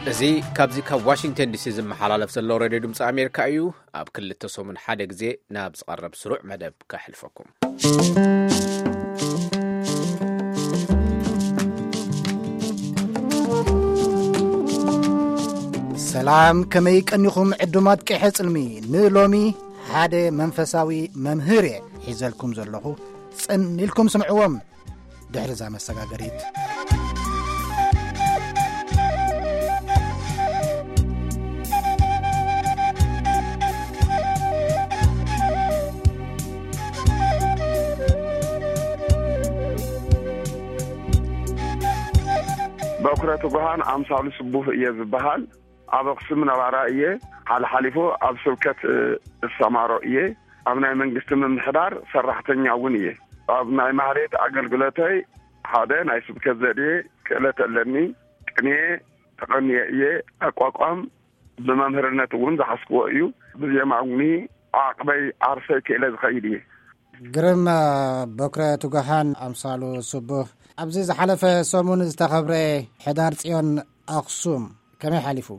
እዚ ካብዚ ካብ ዋሽንግተን ዲሲ ዝመሓላለፍ ዘሎ ሬድዮ ድምፂ ኣሜሪካ እዩ። ኣብ ክልተ ሰሙን ሓደ ግዜ ናብ ዝቐርብ ስሩዕ መደብ ከሕልፈኩም። ሰላም፣ ከመይ ቀኒኹም ዕዱማት ቅሐ ጽልሚ? ንሎሚ ሓደ መንፈሳዊ መምህር እየ ሒዘልኩም ዘለኹ። ጽን ኢልኩም ስምዕዎም። ድሕሪ እዛ መሰጋገሪት። በኩረ ትጉሃን ኣምሳሉ ስቡህ እየ ዝበሃል። ኣብ ኣኽሱም ነባራ እየ። ሓልሓሊፉ ኣብ ስብከት፣ እ፣ እሰማሮ እየ። ኣብ ናይ መንግስቲ ምምሕዳር ሰራሕተኛ እውን እየ። ኣብ ናይ ማህሌት ኣገልግሎተይ ሓደ ናይ ስብከት ዘድየ ክእለት ኣለኒ። ቅኔ ተቐንየ እየ። ኣቋቋም ብመምህርነት እውን ዝሓዝክዎ እዩ። ብዜማ እውን ዓቕበይ ዓርሰይ ክእለ ዝኸይድ እየ። ግርም፣ እ፣ በኩረ ትጉሃን ኣምሳሉ ስቡህ፣ ኣብዚ ዝሓለፈ ሰሙን ዝተኸብረ ሕዳር ጽዮን ኣኽሱም ከመይ ሓሊፉ?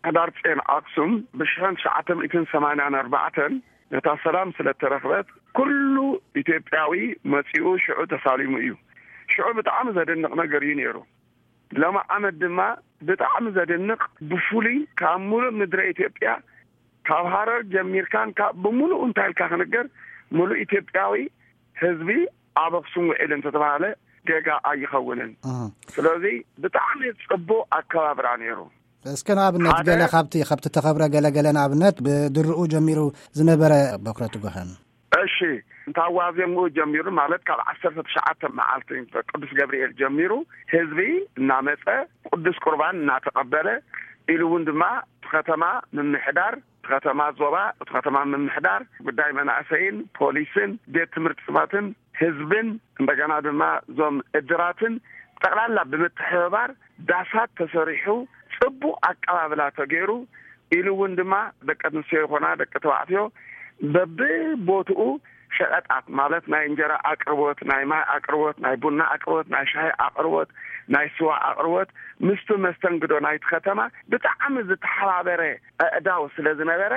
ሕዳር ጽዮን ኣክሱም ብሽሕን ትሽዓተ ሚእትን ሰማንያን ኣርባዕተን ነታ ሰላም ስለ እተረኽበት፣ ኩሉ ኢትዮጵያዊ መጺኡ ሽዑ ተሳሊሙ እዩ። ሽዑ ብጣዕሚ ዘደንቕ ነገር እዩ ነይሩ። ሎሚ ዓመት ድማ ብጣዕሚ ዘደንቕ፣ ብፍሉይ ካብ ሙሉእ ምድረ ኢትዮጵያ፣ ካብ ሃረር ጀሚርካን ካብ ብምሉኡ እንታይ ኢልካ ክንገር፣ ሙሉእ ኢትዮጵያዊ ህዝቢ ኣብ ኣክሱም ውዒል እንተተባሃለ ጌጋ ኣይኸውንን። እህ። ስለዚ ብጣዕሚ ጽቡቕ ኣከባብራ ነይሩ። እስከ ንኣብነት ሓደ ገለ ካብቲ፣ ካብቲ ተኸብረ ገለ ገለ ንኣብነት ብድርኡ ጀሚሩ ዝነበረ በኩረ ትጉሃን። እሺ፣ እንታ ዋዜምኡ ጀሚሩ ማለት ካብ ዓሰርተ ትሽዓተ መዓልቲ ቅዱስ ገብርኤል ጀሚሩ ህዝቢ እናመጸ ቅዱስ ቁርባን እናተቐበለ፣ ኢሉ እውን ድማ እቲ ከተማ ምምሕዳር፣ እቲ ከተማ ዞባ፣ እቲ ከተማ ምምሕዳር፣ ጉዳይ መናእሰይን ፖሊስን ቤት ትምህርትታትን ህዝብን፣ እንደገና ድማ እዞም እድራትን ጠቕላላ ብምትሕብባር ዳሳት ተሰሪሑ ጽቡቕ ኣቀባብላ ተገይሩ፣ ኢሉ እውን ድማ ደቂ ኣንስትዮ ይኾና ደቂ ተባዕትዮ በብቦትኡ ሸቐጣት ማለት ናይ እንጀራ ኣቅርቦት፣ ናይ ማይ ኣቅርቦት፣ ናይ ቡና ኣቅርቦት፣ ናይ ሻሂ ኣቅርቦት፣ ናይ ስዋ ኣቅርቦት፣ ምስቲ መስተንግዶ ናይቲ ከተማ ብጣዕሚ ዝተሓባበረ ኣእዳው ስለ ዝነበረ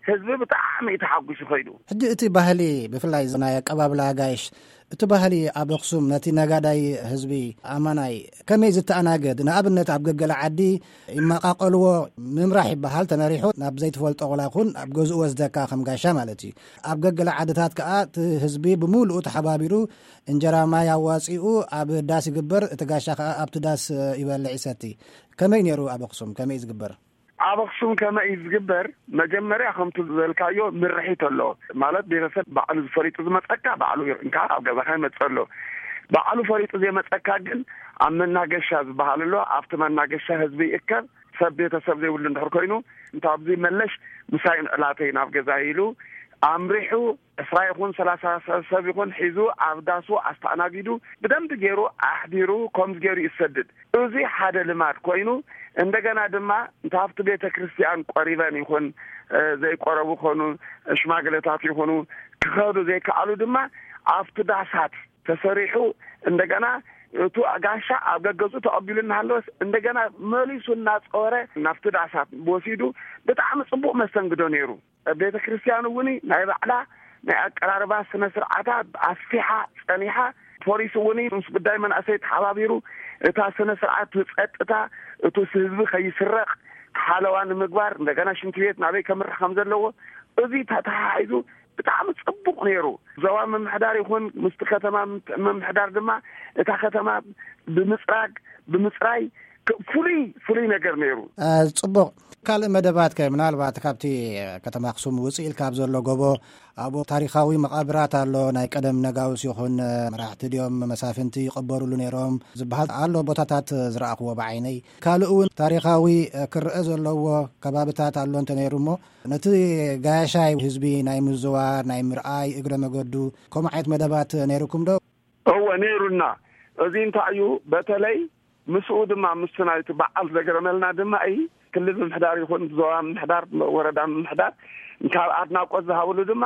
ህዝቢ ብጣዕሚ እዩ ተሓጒሱ ከይዱ። ሕጂ እቲ ባህሊ፣ ብፍላይ ናይ ኣቀባብላ ኣጋይሽ፣ እቲ ባህሊ ኣብ ኣኽሱም ነቲ ነጋዳይ ህዝቢ ኣማናይ ከመይ ዝተኣናገድ? ንኣብነት ኣብ ገገለ ዓዲ ይመቃቀልዎ፣ ምምራሕ ይበሃል፣ ተመሪሑ ናብ ዘይትፈልጦ ቆላ ይኹን ኣብ ገዝኡ ወስደካ ከም ጋሻ ማለት እዩ። ኣብ ገገለ ዓድታት ከኣ እቲ ህዝቢ ብምሉኡ ተሓባቢሩ እንጀራ ማይ ኣዋጺኡ ኣብ ዳስ ይግበር፣ እቲ ጋሻ ከኣ ኣብቲ ዳስ ይበልዕ ይሰቲ። ከመይ ነይሩ ኣብ ኣኽሱም? ከመይ እዩ ዝግበር? ኣብ ኣኽሱም ከመይ እዩ ዝግበር? መጀመርያ ከምቲ ዝበልካዮ ምርሒት ኣሎ። ማለት ቤተሰብ ባዕሉ ዝፈሊጡ ዝመጸካ ባዕሉ እንካ ኣብ ገዛኻ ይመጽእ ኣሎ። ባዕሉ ፈሊጡ ዘይመጸካ ግን ኣብ መናገሻ ዝበሃል ኣሎ። ኣብቲ መናገሻ ህዝቢ ይእከብ። ሰብ ቤተሰብ ዘይብሉ እንድሕር ኮይኑ እንታ ኣብዚ መለሽ ምሳይን ዕላተይ ናብ ገዛ ኢሉ ኣምሪሑ ዕስራ ይኹን ሰላሳ ሰብ ይኹን ሒዙ ኣብ ዳሱ ኣስተኣናጊዱ ብደንቢ ገይሩ ኣሕዲሩ ከምዚ ገይሩ ይሰድድ። እዚ ሓደ ልማድ ኮይኑ እንደገና ድማ እንተ ኣብቲ ቤተ ክርስቲያን ቆሪበን ይኹን፣ እ፣ ዘይቆረቡ ኮኑ ሽማግለታት ይኹኑ ክኸዱ ዘይከኣሉ ድማ ኣብቲ ዳሳት ተሰሪሑ እንደገና እቱ ጋሻ ኣብ ገገዝኡ ተቐቢሉ እናሃለወስ እንደገና መሊሱ እናጸወረ ናብቲ ዳሳት ወሲዱ ብጣዕሚ ጽቡቕ መስተንግዶ ነይሩ። ቤተ ክርስቲያን እውን ናይ ባዕላ ናይ ኣቀራርባ ስነ ስርዓታ ኣስፊሓ ጸኒሓ። ፖሊስ እውን ምስ ጉዳይ መናእሰይ ተሓባቢሩ እታ ስነ ስርዓት ጸጥታ እቱ ህዝቢ ከይስረቕ ሓለዋ ንምግባር እንደገና ሽንቲ ቤት ናበይ ከምርሕ ከም ዘለዎ እዚ ተተሓሒዙ ብጣዕሚ ጽቡቕ ነይሩ። ዞባ ምምሕዳር ይኹን ምስቲ ከተማ ምምሕዳር ድማ እታ ከተማ ብምጽራግ ብምጽራይ ክ-፣ ፍሉይ ፍሉይ ነገር ነይሩ። አ፣ ጽቡቕ። ካልእ መደባት ከ ምናልባት ካብቲ ከተማ ኣኽሱም ውጽእ ኢልካ ኣብ ዘሎ ጎቦ ኣብኡ ታሪኻዊ መቓብራት ኣሎ። ናይ ቀደም ነጋውስ ይኹን መራሕቲ ድዮም መሳፍንቲ ይቐበሩሉ ነይሮም ዝበሃል ኣሎ። ቦታታት ዝረኣኽዎ ብዓይነይ። ካልእ እውን ታሪኻዊ ክረአ ዘለዎ ከባብታት ኣሎ እንተ ነይሩ እሞ ነቲ ጋያሻይ ህዝቢ ናይ ምዝዋር ናይ ምርኣይ እግረ መገዱ ከምኡ ዓይነት መደባት ነይሩኩም ዶ? እወ ነይሩና። እዚ እንታይ እዩ በተለይ ምስኡ ድማ ምስቲ ናይቲ በዓል ዘገረመልና ድማ እዩ ክልል ምምሕዳር ይኹን ዞባ ምምሕዳር ወረዳ ምምሕዳር ካብ ኣድናቆት ዝሃብሉ ድማ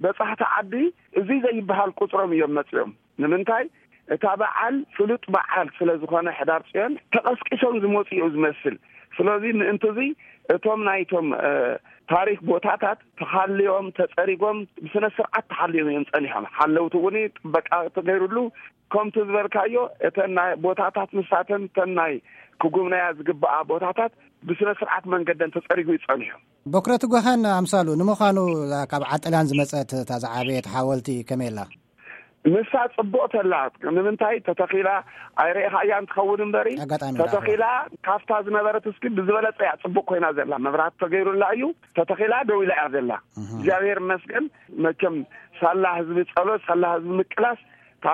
በጻሕቲ ዓዲ እዚ ዘይበሃል ቁጽሮም እዮም መጺኦም። ንምንታይ እታ በዓል ፍሉጥ በዓል ስለ ዝኾነ ሕዳር ጽዮን ተቐስቂሶም ዝመጹ እዩ ዝመስል። ስለዚ ምእንቲ እዚ እቶም ናይቶም ታሪክ ቦታታት ተኻልዮም ተጸሪጎም ብስነ ስርዓት ተሓልዮም እዮም ጸኒሖም። ሓለውቲ እውን ጥበቃ ተገይሩሉ። ከምቲ ዝበልካዮ እተን ናይ ቦታታት ንሳተን እተን ናይ ክጉብነያ ዝግባኣ ቦታታት ብስነ ስርዓት መንገደን ተጸሪጉ ይጸኒሑ። ቦክረቲ ጓሃን ኣምሳሉ ንምዃኑ ካብ ዓጠልያን ዝመጸት እታ ዝዓበየት ሓወልቲ ከመይ ኣላ? ንሳ ጽቡቕ ተላ። ንምንታይ ተተኺላ ኣይረኢኻያን ትኸውን እምበሪ ኣጋጣሚ ተተኺላ ካብታ ዝነበረት እስኪ ብዝበለጸ እያ ጽቡቕ ኮይና ዘላ። መብራት ተገይሩላ እዩ ተተኺላ ደው ኢላ እያ ዘላ። እግዚኣብሔር ይመስገን። መቸም ሳላ ህዝቢ ጸሎት ሳላ ህዝቢ ምቅላስ እታ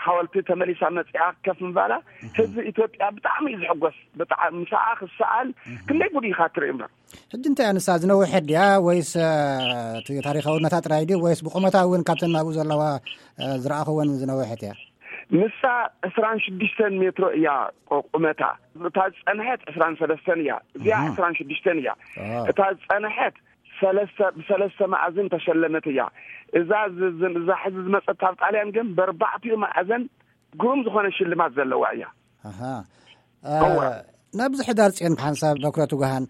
ሓወልቲ ተመሊሳ መጺኣ ከፍ ምባላ ህዝቢ ኢትዮጵያ ብጣዕሚ እዩ ዝሕጎስ። ብጣዕሚ ምሳኣ ክሰኣል ክንደይ ጉድ ኢኻ ትርኢ እምበር። ሕጂ እንታይ ንሳ ዝነውሐት ድያ ወይስ እቲ ታሪኻውነታ ጥራይ ድዩ ወይስ ብቁመታ እውን ካብተን ናብኡ ዘለዋ ዝረኣኽወን ዝነውሐት እያ? ንሳ ዕስራን ሽዱሽተን ሜትሮ እያ ቁመታ። እታ ዝጸንሐት ዕስራን ሰለስተን እያ። እዚኣ ዕስራን ሽዱሽተን እያ። እታ ዝጸንሐት ሰለስተ ብሰለስተ መኣዝን ተሸለመት እያ። እዛ እዛ ሕዚ ዝመጸት ካብ ጣልያን ግን በርባዕቲኡ መኣዘን ግሩም ዝኾነ ሽልማት ዘለዋ እያ። ናብዚ ሕዳር ጽዮን ሓንሳብ በኩረቱ ገሃን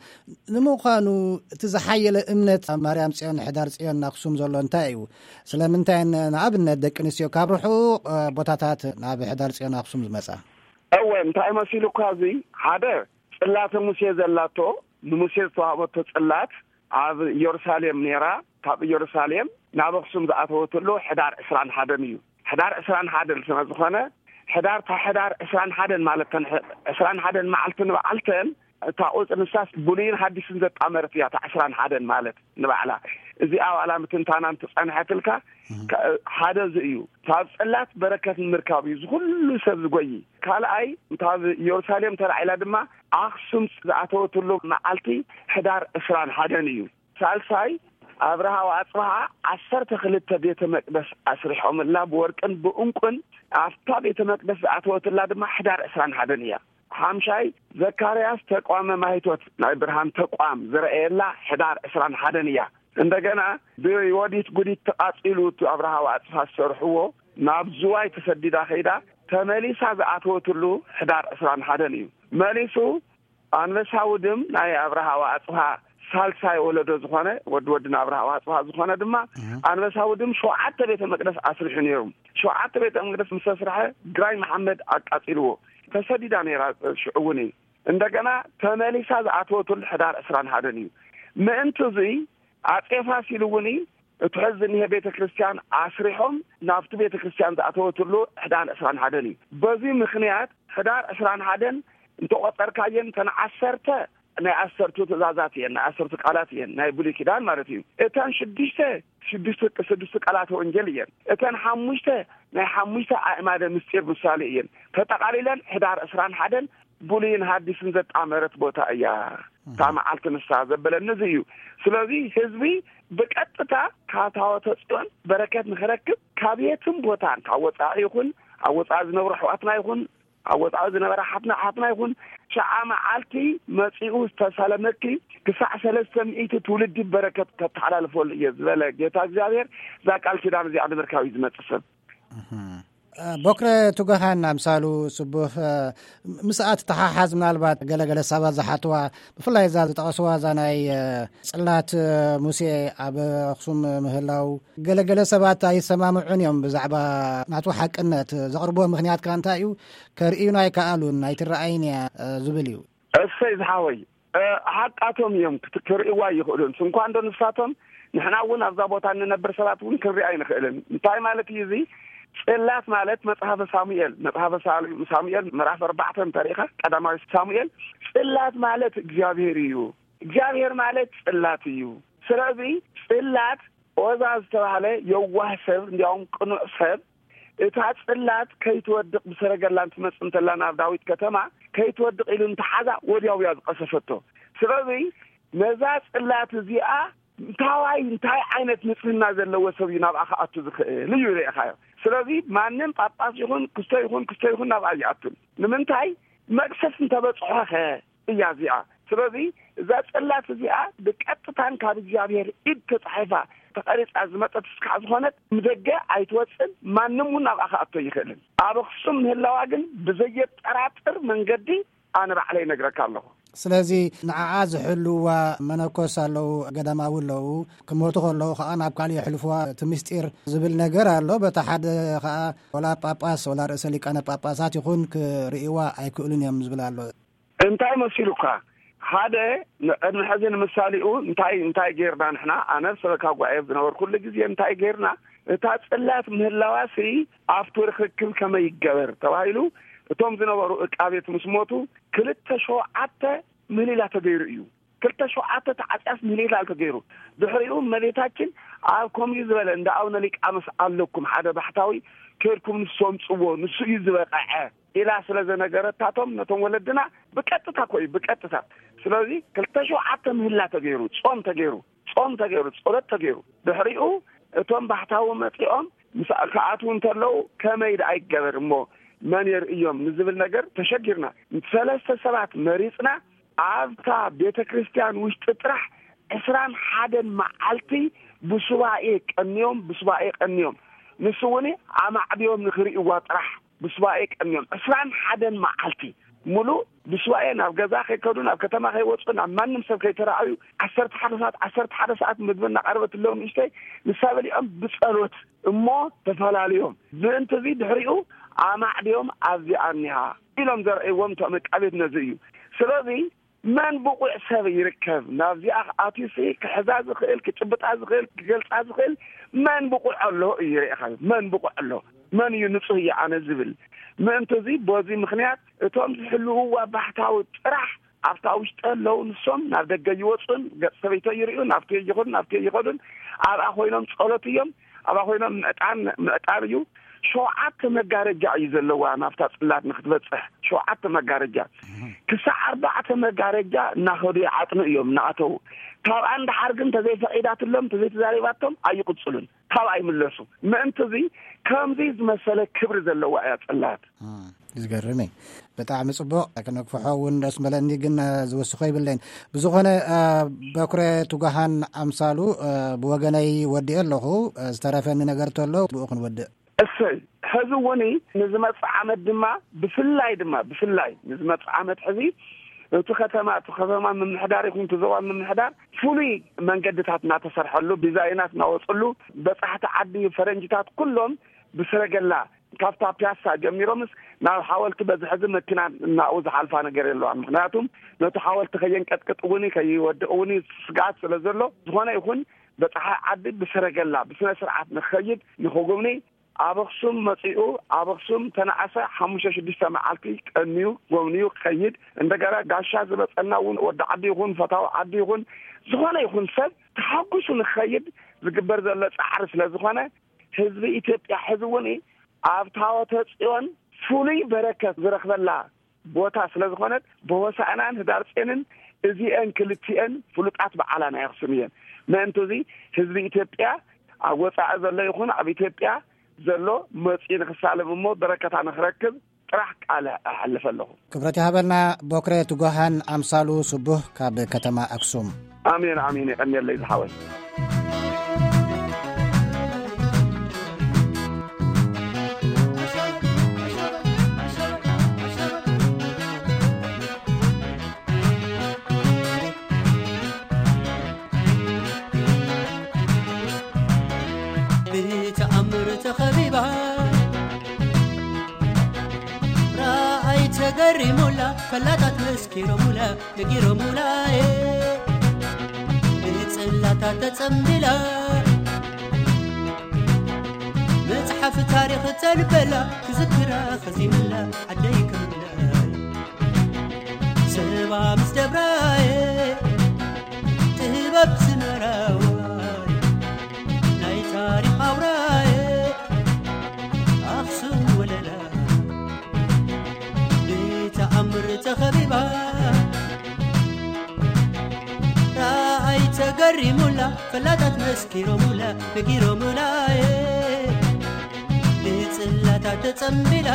ንምዃኑ እቲ ዝሓየለ እምነት ኣብ ማርያም ጽዮን ሕዳር ጽዮን ኣክሱም ዘሎ እንታይ እዩ? ስለምንታይ ንኣብነት ደቂ ኣንስትዮ ካብ ርሑቕ ቦታታት ናብ ሕዳር ጽዮን ኣክሱም ዝመጻ? እወ እንታይ መሲሉ እኳ እዚ ሓደ ጽላተ ሙሴ ዘላቶ ንሙሴ ዝተዋህበቶ ጽላት ኣብ ኢየሩሳሌም ነይራ። ካብ ኢየሩሳሌም ናብ ኣክሱም ዝኣተወትሉ ሕዳር ዕስራን ሓደን እዩ። ሕዳር ዕስራን ሓደን ስለ ዝኾነ ሕዳር እታ ሕዳር ዕስራን ሓደን ማለት ተን ዕስራን ሓደን መዓልቲ ንበዓልተን እታ ቁፅሪ ንሳስ ብሉይን ሓዲስን ዘጣመረት እያ። እታ ዕስራን ሓደን ማለት ንባዕላ እዚኣ ዋላ ምትንታና እንትፀንሐትልካ ሓደ እዚ እዩ። ካብ ፅላት በረከት ንምርካብ እዩ ዝኩሉ ሰብ ዝጎይ። ካልኣይ ካብ ኢየሩሳሌም ተላዒላ ድማ ኣክሱም ዝኣተወትሉ መዓልቲ ሕዳር ዕስራን ሓደን እዩ። ሳልሳይ ኣብርሃ ወኣጽብሃ ዓሰርተ ክልተ ቤተ መቅደስ ኣስሪሖምላ ብወርቅን ብእንቁን ኣብታ ቤተ መቅደስ ዝኣተወትላ ድማ ሕዳር ዕስራን ሓደን እያ። ሓምሻይ ዘካርያስ ተቋመ ማይቶት ናይ ብርሃን ተቋም ዝረኣየላ ሕዳር ዕስራን ሓደን እያ። እንደገና ብዮዲት ጉዲት ተቃጺሉ እቲ ኣብርሃ ወኣጽብሃ ዝሰርሕዎ ናብ ዝዋይ ተሰዲዳ ከይዳ ተመሊሳ ዝኣተወትሉ ሕዳር ዕስራን ሓደን እዩ። መሊሱ ኣንበሳ ውድም ናይ ኣብርሃ ወኣጽብሃ ሳልሳይ ወለዶ ዝኾነ ወዲ ወድን ኣብርሃ ወኣጽብሃ ዝኾነ ድማ ኣንበሳ ውድም ሸውዓተ ቤተ መቅደስ ኣስሪሑ ነይሩ። ሸውዓተ ቤተ መቅደስ ምስ ተስርሐ ግራኝ መሓመድ ኣቃጺልዎ። ተሰዲዳ ነይራ ሽዑ እውን እዩ። እንደገና ተመሊሳ ዝኣተወትሉ ሕዳር ዕስራን ሓደን እዩ። ምእንቲ እዙይ ኣጼ ፋሲል እውን እቲ ሕዚ ዝኒሀ ቤተ ክርስቲያን ኣስሪሖም ናብቲ ቤተ ክርስቲያን ዝኣተወትሉ ሕዳር ዕስራን ሓደን እዩ። በዚ ምክንያት ሕዳር ዕስራን ሓደን እንተቆፀርካየን እተን ዓሰርተ ናይ ዓሰርቱ ትእዛዛት እየን፣ ናይ ዓሰርቱ ቃላት እየን፣ ናይ ብሉይ ኪዳን ማለት እዩ። እተን ሽዱሽተ ሽዱሽተ ስዱስቲ ቃላት ወንጌል እየን። እተን ሓሙሽተ ናይ ሓሙሽተ ኣእማደ ምስጢር ምሳሌ እየን። ተጠቃሊለን ሕዳር ዕስራን ሓደን ብሉይን ሓዲስን ዘጣመረት ቦታ እያ። እታ መዓልቲ ንስሓ ዘበለኒ እዚ እዩ። ስለዚ ህዝቢ ብቀጥታ ካብ ታቦተ ጽዮን በረከት ንክረክብ ካብ የትም ቦታን ካብ ወፃኢ ይኹን ኣብ ወፃኢ ዝነብሩ ኣሕዋትና ይኹን ኣብ ወፃኢ ዝነበረ ሓትና ሓትና ይኹን ሸዓ መዓልቲ መፂኡ ዝተሳለመኪ ክሳዕ ሰለስተ ሚእቲ ትውልዲ በረከት ከተሓላልፈሉ እየ ዝበለ ጌታ እግዚኣብሔር እዛ ቃል ኪዳን እዚኣ ንምርካብ እዩ ዝመፅእ ሰብ። ቦክረ ቱገኻን ኣምሳሉ ስቡህ ምስኣ ትተሓሓዝ ምናልባት ገለገለ ሰባት ዝሓትዋ ብፍላይ እዛ ዝጠቐስዋ እዛ ናይ ጽላት ሙሴ ኣብ ኣኽሱም ምህላው ገለገለ ሰባት ኣይሰማምዑን እዮም ብዛዕባ ናቱ ሓቅነት ዘቕርብዎ ምኽንያት ከኣ እንታይ እዩ ከርእዩና ኣይከኣሉን ኣይትረኣይን እያ ዝብል እዩ። እሰይ ዝሓወይ ሓቃቶም እዮም ክርእይዋ ይኽእሉን ስንኳ እንዶ ንሳቶም ንሕና እውን ኣብዛ ቦታ እንነብር ሰባት እውን ክንሪኣ ኣይንኽእልን። እንታይ ማለት እዩ እዚ? ጽላት ማለት መጽሓፈ ሳሙኤል መጽሓፈ ሳሙኤል ምዕራፍ ኣርባዕተ እንተሪኢኻ ቀዳማዊ ሳሙኤል ጽላት ማለት እግዚኣብሔር እዩ። እግዚኣብሔር ማለት ጽላት እዩ። ስለዚ ጽላት ኦዛ ዝተባህለ የዋህ ሰብ እንዲያውም ቅኑዕ ሰብ እታ ጽላት ከይትወድቕ ብሰረገላ እንትመጽእ እንተላ ናብ ዳዊት ከተማ ከይትወድቕ ኢሉ እንተሓዛ ወዲያው እያ ዝቐሰፈቶ። ስለዚ ነዛ ጽላት እዚኣ እንታዋይ እንታይ ዓይነት ንጽህና ዘለዎ ሰብ እዩ ናብኣ ክኣቱ ዝኽእል እዩ ርኢኻዮ። ስለዚ ማንም ጳጳስ ይኹን ክስቶ ይኹን ክስቶ ይኹን ናብኣ ይኣቱን ንምንታይ መቅሰፍ እንተበጽሖኸ እያ እዚኣ። ስለዚ እዛ ጽላት እዚኣ ብቀጥታን ካብ እግዚኣብሔር ኢድ ተጻሒፋ ተቐሪጻ ዝመጸት ስካዕ ዝኾነት፣ ንደገ ኣይትወጽን፣ ማንም እውን ናብኣ ክኣቶ ይኽእልን። ኣብ ኣኽሱም ምህላዋ ግን ብዘየጠራጥር መንገዲ ኣነ ባዕለይ እነግረካ ኣለኹ። ስለዚ ንዓኣ ዝሕልዋ መነኮስ ኣለዉ፣ ገዳማዊ ኣለዉ። ክሞቱ ከለዉ ከዓ ናብ ካልእ የሕልፍዋ፣ እቲ ምስጢር ዝብል ነገር ኣሎ። በታ ሓደ ከዓ ወላ ጳጳስ ወላ ርእሰ ሊቃነ ጳጳሳት ይኹን ክርእይዋ ኣይክእሉን እዮም ዝብል ኣሎ። እንታይ መሲሉካ? ሓደ፣ ንቅድሚ ሕዚ ንምሳሌኡ እንታይ እንታይ ጌርና ንሕና? ኣነ ሰበካ ጉባኤ ዝነበርኩሉ ግዜ እንታይ ጌርና? እታ ጽላት ምህላዋሲ ኣብቲ ርክክብ ከመይ ይገበር ተባሂሉ፣ እቶም ዝነበሩ እቃቤት ምስ ሞቱ፣ ክልተ ሸውዓተ ምህሊላ ተገይሩ እዩ። ክልተ ሸውዓተ ተዓጽያስ ምህሊላ ተገይሩ። ድሕሪኡ እመቤታችን ኣብ ከምኡ ዝበለ እንዳ ኣቡነ ሊቃኖስ ኣለኩም፣ ሓደ ባሕታዊ፣ ከድኩም ንሱ ኣምጽዎ፣ ንሱ እዩ ዝበቐዐ ኢላ ስለ ዘነገረታቶም፣ ነቶም ወለድና፣ ብቀጥታ እኮ እዩ፣ ብቀጥታ። ስለዚ ክልተ ሸውዓተ ምህላ ተገይሩ፣ ጾም ተገይሩ፣ ጾም ተገይሩ፣ ጸሎት ተገይሩ። ድሕሪኡ እቶም ባሕታዊ መጺኦም ምስ ክኣትዉ እንተለዉ፣ ከመይ ደኣ ይገበር እሞ መን የርእዮም ንዝብል ነገር ተሸጊርና። ሰለስተ ሰባት መሪጽና፣ ኣብታ ቤተ ክርስቲያን ውሽጢ ጥራሕ ዕስራን ሓደን መዓልቲ ብሱባኤ ቀንዮም፣ ብሱባኤ ቀንዮም። ንሱ እውን ኣማዕብዮም ንኽርእይዋ ጥራሕ ብሱባኤ ቀንዮም። ዕስራን ሓደን መዓልቲ ሙሉእ ብሱባኤ ናብ ገዛ ከይከዱ፣ ናብ ከተማ ከይወፁ፣ ናብ ማንም ሰብ ከይተረኣዩ፣ ዓሰርተ ሓደ ሰዓት፣ ዓሰርተ ሓደ ሰዓት ምግቢ እናቐረበትሎም ንእሽተይ፣ ንሳ በሊዖም ብጸሎት እሞ ተፈላልዮም። ምእንቲ እዚ ድሕሪኡ ኣማዕድዮም ኣብዚኣ እኒሃ ኢሎም ዘርእይዎም እቶም ዕቃቤት ነዚ እዩ። ስለዚ መን ብቑዕ ሰብ ይርከብ? ናብዚኣ ኣትዩሲ ክሕዛ ዝኽእል፣ ክጭብጣ ዝኽእል፣ ክገልጻ ዝኽእል መን ብቑዕ ኣሎ እዩ ይርኤኻ። መን ብቑዕ ኣሎ? መን እዩ ንጹህ እዩ ኣነ ዝብል? ምእንቲ እዚ በዚ ምኽንያት እቶም ዝሕልውዋ ባሕታዊ ጥራሕ ኣብታ ውሽጢ ኣለዉ። ንሶም ናብ ደገ ይወጹን ገጽ ሰበይቶ ይርእዩ፣ ናብቲ ይኹን ናብቲ ይኸዱን። ኣብኣ ኮይኖም ጸሎት እዮም፣ ኣብኣ ኮይኖም ምዕጣን ምዕጣር እዩ። ሸውዓተ መጋረጃ እዩ ዘለዋ ናብታ ጽላት ንክትበጽሕ፣ ሸውዓተ መጋረጃ። ክሳዕ ኣርባዕተ መጋረጃ እናኸዱ ይዓጥኑ እዮም እናኣተዉ። ካብኣ እንድሓር ግን ተዘይፈቒዳትሎም፣ ተዘይተዛሪባቶም ኣይቕጽሉን፣ ካብ ኣይምለሱ። ምእንቲ እዚ ከምዚ ዝመሰለ ክብሪ ዘለዋ እያ ጽላት። እም፣ ዝገርም እዩ። ብጣዕሚ ጽቡቕ፣ ክነግፍሖ እውን ደስ በለኒ፣ ግን፣ እ፣ ዝውስኾ ይብለይን። ብዝኾነ፣ እ፣ በኩረ ትጉሃን ኣምሳሉ፣ እ፣ ብወገነይ ወዲኤ ኣለኹ። እ፣ ዝተረፈኒ ነገር ተሎ ብኡ ክንወድእ። እሰይ፣ ሕዚ እውን ንዝመጽእ ዓመት ድማ ብፍላይ ድማ ብፍላይ ንዝመጽእ ዓመት ሕዚ እቲ ከተማ እቲ ከተማ ምምሕዳር ይኹን እቲ ዞባ ምምሕዳር ፍሉይ መንገድታት እናተሰርሐሉ፣ ዲዛይናት እናወፅሉ፣ በጻሕቲ ዓዲ ፈረንጅታት ኩሎም ብሰረገላ ካብታ ፒያሳ ጀሚሮምስ ናብ ሓወልቲ በዚ ሕዚ መኪና እናኡ ዝሓልፋ ነገር የለዋን። ምኽንያቱም ነቲ ሓወልቲ ከየንቀጥቅጥ እውን ከይወድቕ እውን ስግኣት ስለ ዘሎ፣ ዝኾነ ይኹን በጻሒ ዓዲ ብሰረገላ ብስነ ስርዓት ንኸይድ ንኽጉብኒ ኣብ ኣኽሱም መጺኡ ኣብ ኣኽሱም ተነኣሰ ሓሙሽተ ሽዱሽተ መዓልቲ ቀንዩ ጎብንዩ ክኸይድ፣ እንደገና ጋሻ ዝመጸና እውን ወዲ ዓዲ ይኹን ፈታዊ ዓዲ ይኹን ዝኾነ ይኹን ሰብ ተሓጉሱ ንክኸይድ ዝግበር ዘሎ ጻዕሪ ስለ ዝኾነ፣ ህዝቢ ኢትዮጵያ ሕዚ እውን ኣብ ታቦተ ጽዮን ፍሉይ በረከት ዝረኽበላ ቦታ ስለ ዝኾነት፣ ብሆሳዕናን ህዳር ጽዮንን እዚአን ክልቲአን ፍሉጣት በዓላ ናይ ኣኽሱም እየን። ምእንቲ እዚ ህዝቢ ኢትዮጵያ ኣብ ወጻኢ ዘሎ ይኹን ኣብ ኢትዮጵያ ዘሎ መጺኡ ንክሳለም እሞ በረከታ ንክረክብ ጥራሕ ቃል ኣሕልፍ ኣለኹ። ክብረት ይሃበልና። ቦክረ ትጉሃን ኣምሳሉ ስቡህ ካብ ከተማ ኣክሱም። ኣሜን፣ ኣሜን። የቐንየለይ ዝሓወይ። ብተኣምር ተኸቢባ፣ ረኣይ ተገሪሙላ፣ ፈላጣት መስኪሮሙላ፣ ነጊሮሙላ፣ ብጽላታ ተጸምቢላ፣ መጽሓፍ ታሪኽ ተንበላ፣ ክዝክራ ኸዚምላ፣ ዓደይ ክምላ። ሰባ ምስ ደብራየ ጥበብ ዝመራዋይ ናይ ታሪኽ ኣውራየ ኣኽሱም ወለላ ብተኣምር ተኸቢባ ረኣይ ተገሪሙላ ፈላጣት መስኪሮሙላ ነጊሮሙላየ ብጽላታ ተጸምቢላ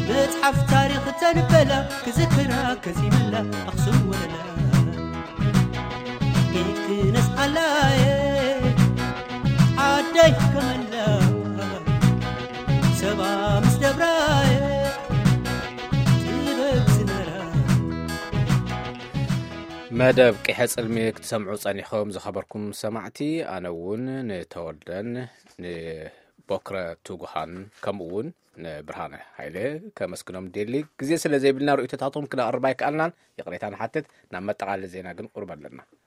መጽሓፍ ታሪኽ ተንበላ ክዝክራ ከዚምላ ኣኽሱም ወለላ ኢድክን ላየ ዓደይ ከመላ ሰባ ምስ ደብራየ ትበብ ዝነራ። መደብ ቂሐ ጽልሚ ክትሰምዑ ጸኒኹም ዝኸበርኩም ሰማዕቲ፣ ኣነ እውን ንተወልደን ንቦክረ ትጉሃን ከምኡ እውን ንብርሃነ ሃይለ ከመስግኖም ደሊ። ግዜ ስለ ዘይብልና ርእይቶታቶም ክነቕርብ ኣይከኣልናን፣ ይቕሬታ ንሓትት። ናብ መጠቓለሊ ዜና ግን ቁርብ ኣለና።